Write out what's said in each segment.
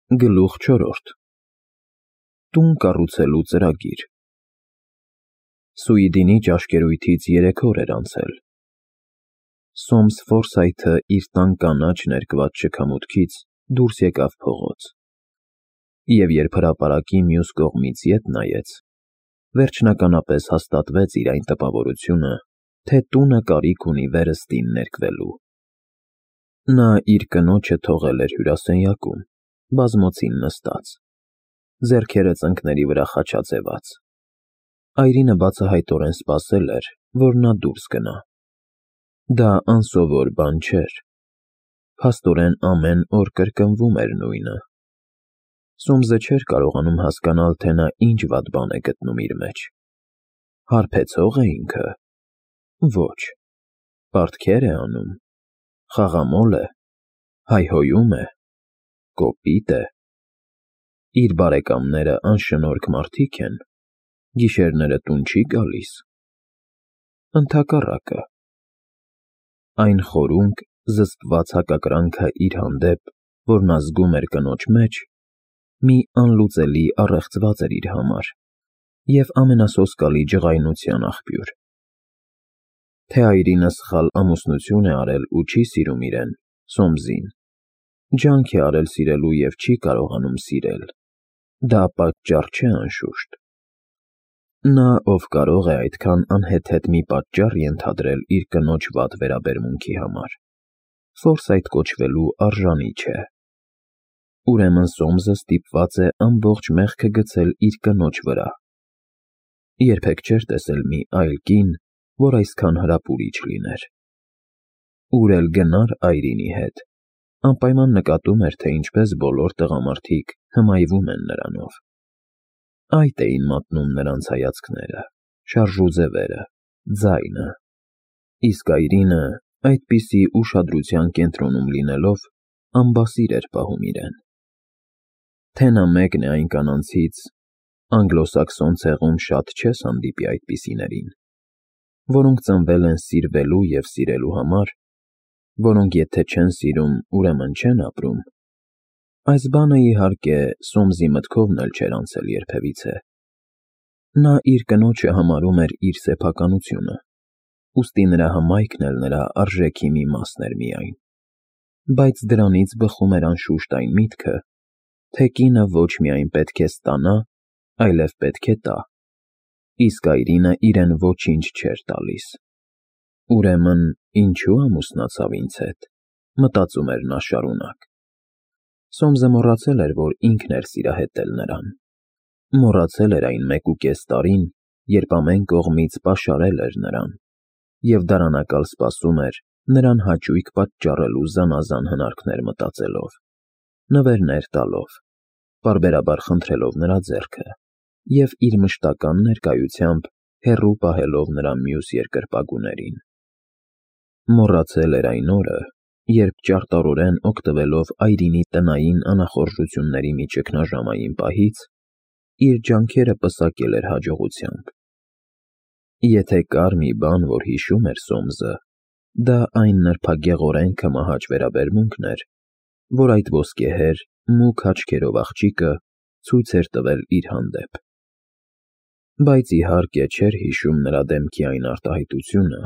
Գլուխ 4. Տուն կառուցելու ծրագիր։ Սուիդինի ճաշկերույթից 3 օր էր անցել։ Սոմս Ֆորսայթը իր տան կանաչ ներկված շքամուտքից դուրս եկավ փողոց։ Եվ երբ հրապարակի մյուս կողմից ետ նայեց, վերջնականապես հաստատվեց իր այն տպավորությունը, թե տունը կարիք ունի վերստին ներկվելու։ Նա իր կնոջը թողել էր հյուրասենյակում, բազմոցին նստած, ձեռքերը ծնկների վրա խաչաձևած։ Այրինը բացահայտորեն սպասել էր, որ նա դուրս գնա։ Դա անսովոր բան չէր։ Փաստորեն ամեն օր կրկնվում էր նույնը։ Սոմսը չէր կարողանում հասկանալ, թե նա ինչ վատ բան է գտնում իր մեջ։ Հարբեցող է ինքը։ Ոչ։ Պարտքեր է անում։ Խաղամոլ է։ Հայհոյում է։ Կոպիտ է։ Իր բարեկամները անշնորհք մարդիկ են։ Գիշերները տուն չի գալիս։ Ընդհակառակը։ Այն խորունկ, զսպված հակակրանքը իր հանդեպ, որ նա զգում էր կնոջ մեջ, մի անլուծելի առեղծված էր իր համար և ամենասոսկալի ջղայնության աղբյուր։ Թե այրինը սխալ ամուսնություն է արել ու չի սիրում իրեն, Սոմսին, ջանք է արել սիրելու և չի կարողանում սիրել, դա պատճառ չէ անշուշտ։ Նա, ով կարող է այդքան անհեթեթ մի պատճառ ենթադրել իր կնոջ վատ վերաբերմունքի համար, Ֆորսայթ կոչվելու արժանի չէ։ Ուրեմն Սոմսը ստիպված է ամբողջ մեղքը գցել իր կնոջ վրա։ Երբեք չէր տեսել մի այլ կին, որ այսքան հրապուրիչ լիներ։ Ուր էլ գնար Այրինի հետ, անպայման նկատում էր, թե ինչպես բոլոր տղամարդիկ հմայվում են նրանով։ Այդ էին մատնում նրանց հայացքները, շարժուձևերը, ձայնը։ Իսկ Այրինը, այդպիսի ուշադրության կենտրոնում լինելով, անբասիր էր պահում իրեն։ Թե նա մեկն է այն կանանցից, անգլոսաքսոն ցեղում շատ չես հանդիպի այդպիսիներին, որոնք ծնվել են սիրվելու և սիրելու համար, որոնք եթե չեն սիրում, ուրեմն չեն ապրում։ Այս բանը, իհարկե, Սոմսի մտքովն էլ չէր անցել երբևիցե։ Նա իր կնոջը համարում էր իր սեփականությունը, ուստի նրա հմայքն էլ նրա արժեքի մի մասն էր միայն։ Բայց դրանից բխում էր անշուշտ այն միտքը, թե կինը ոչ միայն պետք է ստանա, այլև պետք է տա, իսկ Այրինը իրեն ոչինչ չէր տալիս։ Ուրեմն, ինչու ամուսնացավ ինձ հետ, մտածում էր նա շարունակ։ Սոմսը մոռացել էր, որ ինքն էր սիրահետել նրան։ Մոռացել էր այն 1.5 տարին, երբ ամեն կողմից պաշարել էր նրան, և դարանակալ սպասում էր նրան հաճույք պատճառելու զանազան հնարքներ մտածելով, նվերներ տալով, պարբերաբար խնդրելով նրա ձեռքը և իր մշտական ներկայությամբ հեռու պահելով նրա մյուս երկրպագուներին։ Մոռացել էր այն օրը, երբ ճարտարորեն օգտվելով Այրինի տնային անախորժությունների մի ճգնաժամային պահից, իր ջանքերը պսակել էր հաջողությամբ։ Եթե կար մի բան, որ հիշում էր Սոմսը, դա այն նրբագեղորեն կմահաճ վերաբերմունքն էր, որ այդ ոսկեհեր, մուգ աչքերով աղջիկը ցույց էր տվել իր հանդեպ։ Բայց իհարկե չէր հիշում նրա դեմքի այն արտահայտությունը,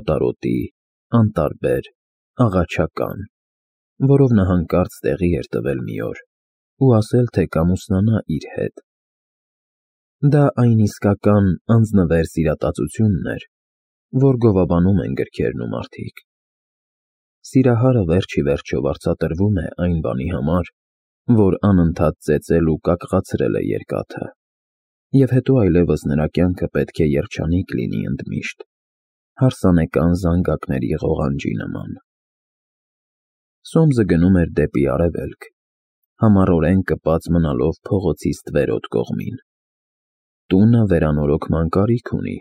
օտարոտի, անտարբեր, աղաչական, որով նա հանկարծ տեղի էր տվել մի օր ու ասել, թե կամուսնանա իր հետ։ Դա այն իսկական անձնվեր սիրատացությունն էր, որ գովաբանում են գրքերն ու մարդիկ։ Սիրահարը վերջ ի վերջո վարձատրվում է այն բանի համար, որ անընդհատ ծեծել ու կակղացրել է երկաթը, և հետո այլևս նրա կյանքը պետք է երջանիկ լինի ընդմիշտ, հարսանեկան զանգակների ղողանջի նման։ Սոմսը գնում էր դեպի արևելք, համառորեն կպած մնալով փողոցի ստվերոտ կողմին։ Տունը վերանորոգման կարիք ունի,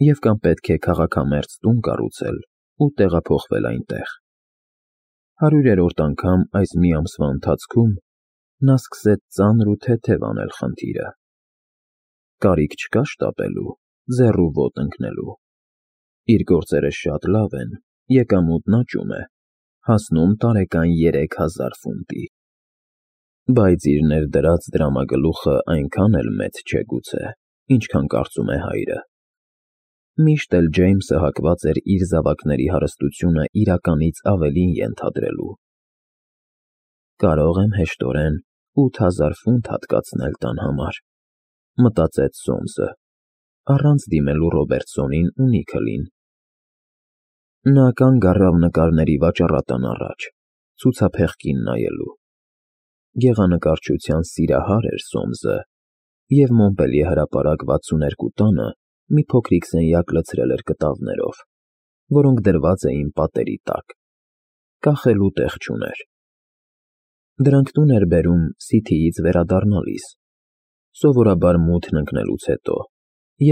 և կամ պետք է քաղաքամերձ տուն կառուցել ու տեղափոխվել այնտեղ։ 100-րդ անգամ այս մի ամսվա ընթացքում նա սկսեց ծանր ու թեթև անել խնդիրը։ Կարիք չկա շտապելու, ձեռու ոտք ընկնելու։ Իր գործերը շատ լավ են, եկամուտն աճում է, հասնում տարեկան 3000 ֆունտի։ Բայց իր ներդրած դրամագլուխը այնքան էլ մեծ չէ գուցե, ինչքան կարծում է հայրը։ Միշտ էլ Ջեյմսը հակված էր իր զավակների հարստությունը իրականից ավելին ենթադրելու։ Կարող եմ հեշտորեն 8000 ֆունտ հատկացնել տան համար, մտածեց Սոմսը, առանց դիմելու Ռոբերտսոնին ու Նիքլին։ Նա կանգ առավ նկարների վաճառատան առաջ, ցուցափեղկին նայելու։ Գեղանկարչության սիրահար էր Սոմսը, և Մոնպելիե հրապարակ 62 տանը մի փոքրիկ սենյակ լցրել էր կտավներով, որոնք դրված էին պատերի տակ, կախելու տեղ չուներ։ Դրանք տուն էր բերում Սիթիից վերադառնալիս, սովորաբար մութն ընկնելուց հետո,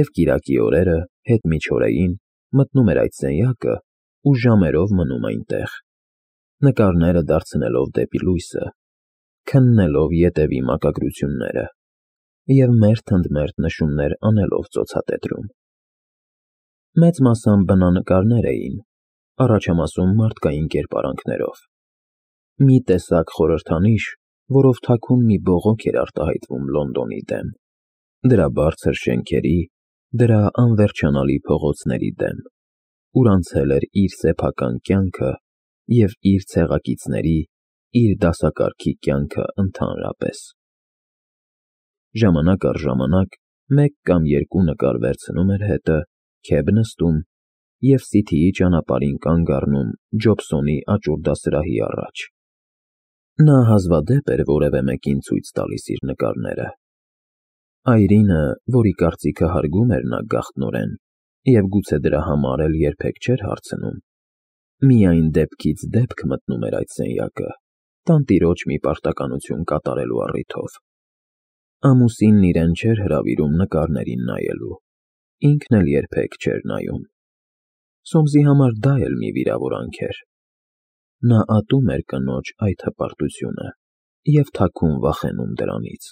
և կիրակի օրերը, հետմիջօրեին, մտնում էր այդ սենյակը ու ժամերով մնում այնտեղ, նկարները դարձնելով դեպի լույսը, քննելով ետևի մակագրությունները և մերթ ընդ մերթ նշումներ անելով ծոցատետրում։ Մեծ մասամբ բնանկարներ էին, առաջամասում մարդկային կերպարանքներով։ Մի տեսակ խորհրդանիշ, որով թաքուն մի բողոք էր արտահայտվում Լոնդոնի դեմ, դրա բարձր շենքերի, դրա անվերջանալի փողոցների դեմ, ուր անցել էր իր սեփական կյանքը և իր ցեղակիցների, իր դասակարգի կյանքը ընդհանրապես։ Ժամանակ առ ժամանակ մեկ կամ երկու նկար վերցնում էր հետը, քեբ նստում և Սիթիի ճանապարհին կանգ առնում Ջոբսոնի աճուրդասրահի առաջ։ Նա հազվադեպ էր որևէ մեկին ցույց տալիս իր նկարները։ Այրինը, որի կարծիքը հարգում էր նա գաղտնորեն, և գուցե դրա համար էլ երբեք չէր հարցնում, միայն դեպքից դեպք մտնում էր այդ սենյակը, տանտիրոջ մի պարտականություն կատարելու առիթով։ Ամուսինն իրեն չէր հրավիրում նկարներին նայելու, ինքն էլ երբեք չէր նայում։ Սոմսի համար դա էլ մի վիրավորանք էր։ Նա ատում էր կնոջ այդ հպարտությունը և թաքուն վախենում դրանից։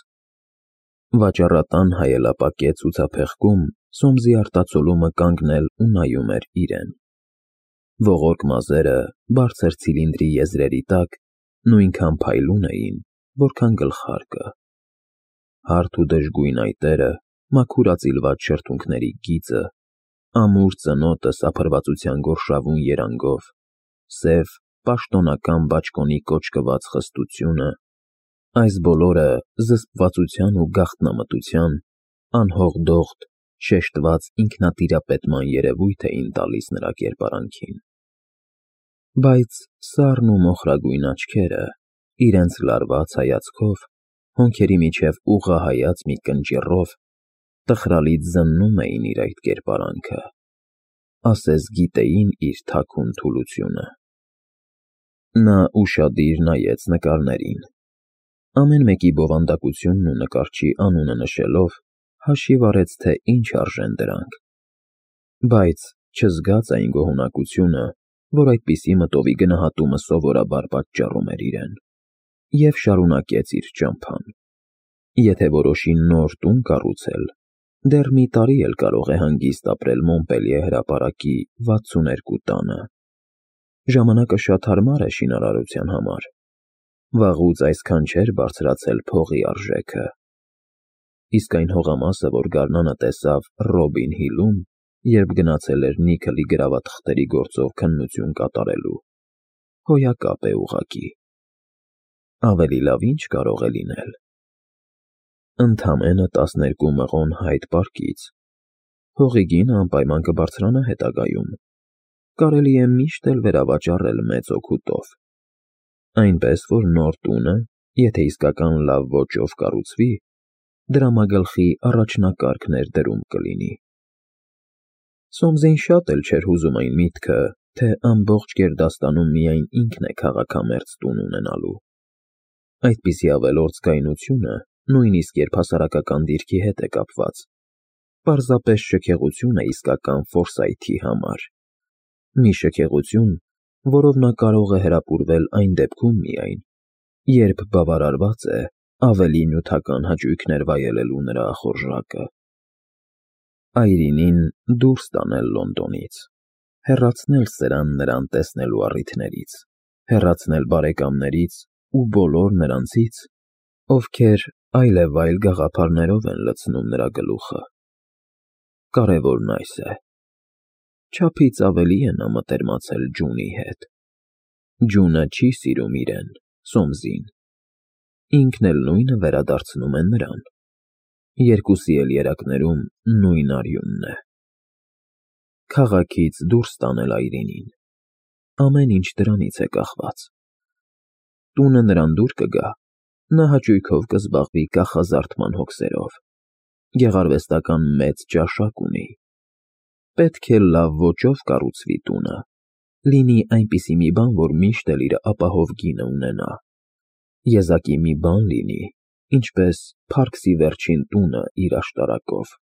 Վաճառատան հայելապակե ցուցափեղկում Սոմսի արտացոլումը կանգնել ու նայում էր իրեն։ Ողորկ մազերը բարձր ցիլինդրի եզրերի տակ նույնքան փայլուն էին, որքան գլխարկը։ Հարթ ու դժգույն այտերը, մաքուր ածիլված շրթունքների գիծը, ամուր ծնոտը սափրվածության գորշավուն երանգով, սև, պաշտոնական բաճկոնի կոճկված խստությունը, այս բոլորը զսպվածության ու գաղտնամտության, անհողդողդ, շեշտված ինքնատիրապետման երևույթ էին տալիս նրա կերպարանքին։ Բայց սառն ու մոխրագույն աչքերը, իրենց լարված հայացքով, հոնքերի միջև ուղղահայաց մի կնճիռով, տխրալից զննում էին իր այդ կերպարանքը, ասես գիտեին իր թաքուն թուլությունը։ Նա ուշադիր նայեց նկարներին։ Ամեն մեկի բովանդակությունն ու նկարչի անունը նշելով, հաշիվ արեց, թե ինչ արժեն դրանք, բայց չզգաց այն գոհունակությունը, որ այդպիսի մտովի գնահատումը սովորաբար պատճառում էր իրեն, և շարունակեց իր ճամփան։ Եթե որոշի նոր տուն կառուցել, դեռ մի տարի էլ կարող է հանգիստ ապրել Մոնպելիե հրապարակի 62 տանը։ Ժամանակը շատ հարմար է շինարարության համար։ Վաղուց այսքան չէր բարձրացել փողի արժեքը։ Իսկ այն հողամասը, որ գարնանը տեսավ Ռոբին Հիլում, երբ գնացել էր Նիքլի գրավաթղթերի գործով քննություն կատարելու, հոյակապ է ուղղակի։ Ավելի լավ ինչ կարող է լինել։ Ընդամենը 12 մղոն Հայդ պարկից։ Հողի գինը անպայման կբարձրանա հետագայում։ Կարելի է միշտ էլ վերավաճառել մեծ օգուտով։ Այնպես որ նոր տունը, եթե իսկական լավ ոճով կառուցվի, դրամագլխի առաջնակարգ ներդրում կլինի։ Սոմսին շատ էլ չէր հուզում այն միտքը, թե ամբողջ գերդաստանում միայն ինքն է քաղաքամերձ տուն ունենալու։ Այդպիսի ավելորդ զգայունությունը, նույնիսկ երբ հասարակական դիրքի հետ է կապված, պարզապես շքեղություն է իսկական Ֆորսայթի համար։ Մի շքեղություն, որով նա կարող է հրապուրվել այն դեպքում միայն, երբ բավարարված է ավելի նյութական հաճույքներ վայելելու նրա ախորժակը։ Այրինին դուրս տանել Լոնդոնից, հեռացնել նրան տեսնելու առիթներից, հեռացնել բարեկամներից ու բոլոր նրանցից, ովքեր այլևայլ գաղափարներով են լցնում նրա գլուխը։ Կարևորն այս է. չափից ավելի է նա մտերմացել Ջունի հետ։ Ջունը չի սիրում իրեն, Սոմսին։ Ինքն էլ նույնը վերադարձնում է նրան։ Երկուսի էլ երակներում նույն արյունն է։ Քաղաքից դուրս տանել Այրինին։ Ամեն ինչ դրանից է կախված։ Տունը նրան դուր կգա, նա հաճույքով կզբաղվի կախազարդման հոգսերով։ Գեղարվեստական մեծ ճաշակ ունի։ Պետք է լավ ոճով կառուցվի տունը, լինի այնպիսի մի բան, որ միշտ էլ իր ապահով գինը ունենա։ Եզակի մի բան լինի, ինչպես Փարքսի վերջին տունը իր աշտարակով։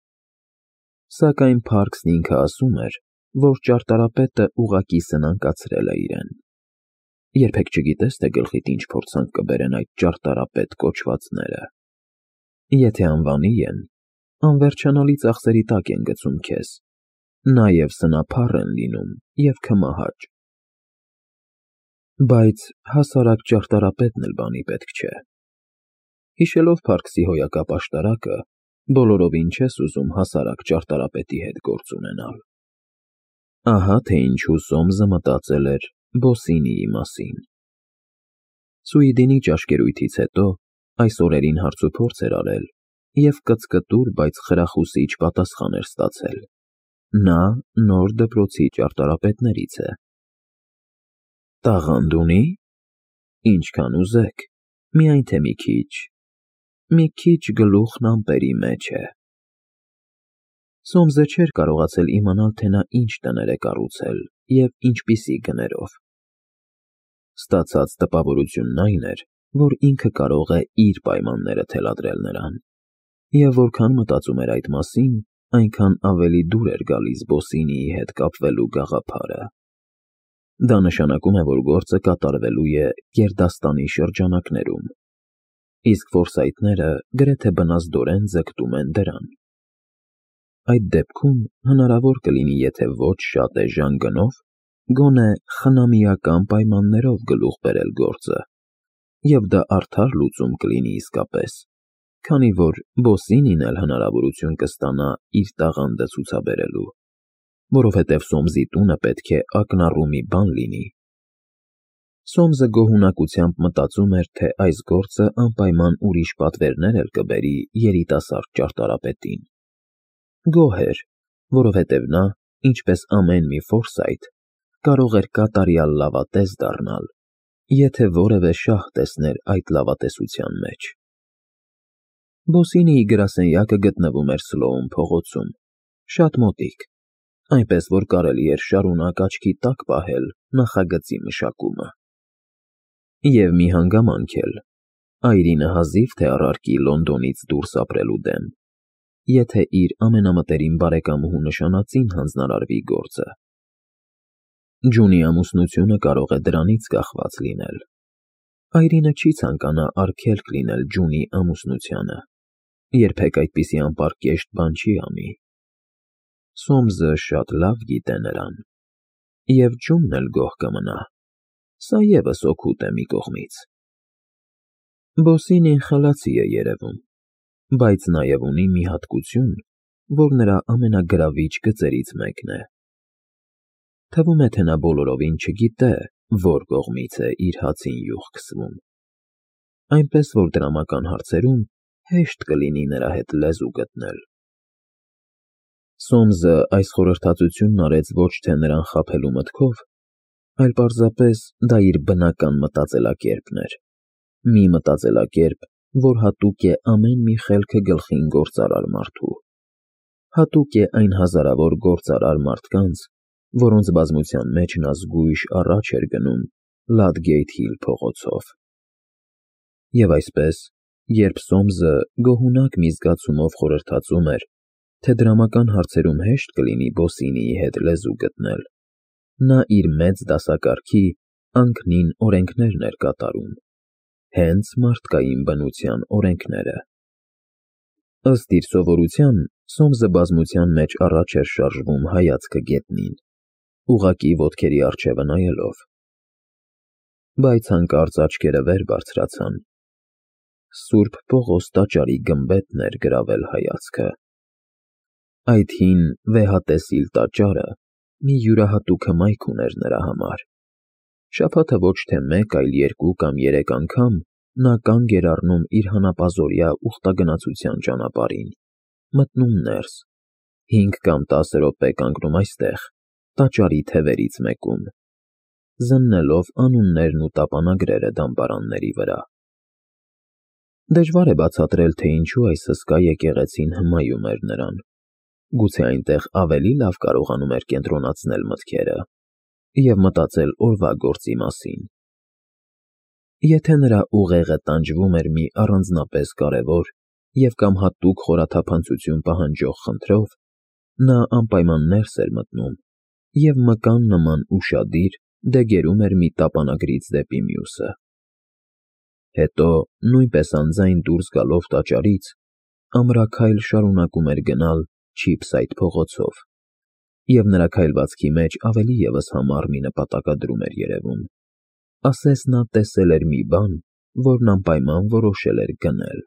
Սակայն Փարքսն ինքը ասում էր, որ ճարտարապետը ուղղակի սնանկացրել է իրեն։ Երբեք չգիտես, թե գլխիդ ինչ փորձանք կբերեն այդ ճարտարապետ կոչվածները։ Եթե անվանի են, անվերջանալի ծախսերի տակ են գցում քեզ, նաև սնափառ են լինում և քմահաճ։ Բայց հասարակ ճարտարապետն էլ բանի պետք չէ։ Հիշելով Փարքսի հոյակապ աշտարակը, բոլորովին չես ուզում հասարակ ճարտարապետի հետ գործ ունենալ։ Ահա թե ինչու Սոմսը մտածել էր Բոսինիի մասին։ Սուիդինի ճաշկերույթից հետո այս օրերին հարցուփորձ էր արել և կծկտուր, բայց խրախուսիչ պատասխան էր ստացել։ Նա նոր դպրոցի ճարտարապետներից է։ Տաղանդ ունի՞։ Ինչքան ուզեք, միայն թե մի քիչ գլուխն ամպերի մեջ է։ Սոմսը չէր կարողացել իմանալ, թե նա ինչ տներ է կառուցել և ինչպիսի գներով։ Ստացած տպավորությունն այն էր, որ ինքը կարող է իր պայմանները թելադրել նրան, և որքան մտածում էր այդ մասին, այնքան ավելի դուր էր գալիս Բոսինիի հետ կապվելու գաղափարը։ Դա նշանակում է, որ գործը կատարվելու է գերդաստանի շրջանակներում, իսկ ֆորսայթները գրեթե բնազդորեն ձգտում են դրան։ Այդ դեպքում հնարավոր կլինի, եթե ոչ շատ էժան գնով, գոնե խնամիական պայմաններով գլուխ բերել գործը, և դա արդար լուծում կլինի իսկապես, քանի որ Բոսինին էլ հնարավորություն կստանա իր տաղանդը ցուցաբերելու, որովհետև Սոմսի տունը պետք է ակնառու մի բան լինի։ Սոմսը գոհունակությամբ մտածում էր, թե այս գործը անպայման ուրիշ պատվերներ էլ կբերի երիտասարդ ճարտարապետին։ Գոհ էր, որովհետև նա, ինչպես ամեն մի ֆորսայթ, կարող էր կատարյալ լավատես դառնալ, եթե որևէ շահ տեսներ այդ լավատեսության մեջ։ Բոսինիի գրասենյակը գտնվում էր Սլոուն փողոցում, շատ մոտիկ, այնպես որ կարելի էր շարունակ աչքի տակ պահել նախագծի մշակումը։ Եվ մի հանգամանք էլ, Այրինը հազիվ թե առարկի Լոնդոնից դուրս ապրելու դեմ, եթե իր ամենամտերիմ բարեկամուհու նշանածին հանձնարարվի գործը։ Ջունի ամուսնությունը կարող է դրանից կախված լինել։ Այրինը չի ցանկանա արգելք լինել Ջունի ամուսնությանը, երբեք այդպիսի անպարկեշտ բան չի անի։ Սոմսը շատ լավ գիտե նրան, և Ջունն էլ գոհ կմնա, սա ևս օգուտ է մի կողմից։ Բոսինին խելացի է երևում, բայց նաև ունի մի հատկություն, որ նրա ամենագրավիչ գծերից մեկն է։ Թվում է, թե նա բոլորովին չգիտե, որ կողմից է իր հացին յուղ քսվում, այնպես որ դրամական հարցերում հեշտ կլինի նրա հետ լեզու գտնել։ Սոմսը այս խորհրդածությունն արեց ոչ թե նրան խաբելու մտքով, այլ պարզապես դա իր բնական մտածելակերպն էր, մի մտածելակերպ, որ հատուկ է ամեն մի խելքը գլխին գործարար մարդու, հատուկ է այն հազարավոր գործարար մարդկանց, որոնց բազմության մեջ նա զգույշ առաջ էր գնում Լադգեյթ Հիլ փողոցով։ Եվ այսպես, երբ Սոմսը գոհունակ մի զգացումով խորհրդածում էր, թե դրամական հարցերում հեշտ կլինի Բոսինիի հետ լեզու գտնել, նա իր մեծ դասակարգի անկնին օրենքներն էր կատարում, հենց մարդկային բնության օրենքները։ Ըստ իր սովորության, Սոմսը բազմության մեջ առաջ էր շարժվում հայացքը գետնին, ուղղակի ոտքերի առջևը նայելով։ Բայց հանկարծ աչքերը վեր բարձրացան, Սուրբ Պողոս տաճարի գմբեթն էր գրավել հայացքը։ Այդ հին վեհատեսիլ տաճարը մի յուրահատուկ հմայք ուներ նրա համար։ Շաբաթը ոչ թե մեկ, այլ երկու կամ երեք անգամ նա կանգ էր առնում իր հանապազօրյա ուխտագնացության ճանապարհին, մտնում ներս, 5 կամ 10 րոպե կանգնում այստեղ, տաճարի թևերից մեկում, զննելով անուններն ու տապանագրերը դամբարանների վրա։ Դժվար է բացատրել, թե ինչու այս հսկա եկեղեցին հմայում էր նրան։ Գուցե այնտեղ ավելի լավ կարողանում էր կենտրոնացնել մտքերը և մտածել օրվա գործի մասին։ Եթե նրա ուղեղը տանջվում էր մի առանձնապես կարևոր և կամ հատուկ խորաթափանցություն պահանջող խնդրով, նա անպայման ներս էր մտնում և մկան նման ուշադիր դեգերում էր մի տապանագրից դեպի մյուսը։ Հետո, նույնպես անձայն դուրս գալով տաճարից, ամրաքայլ շարունակում էր գնալ Չիփսայթ փողոցով, և նրա քայլվածքի մեջ ավելի ևս համառ մի նպատակադրում էր երևում, ասես նա տեսել էր մի բան, որն անպայման որոշել էր գնել։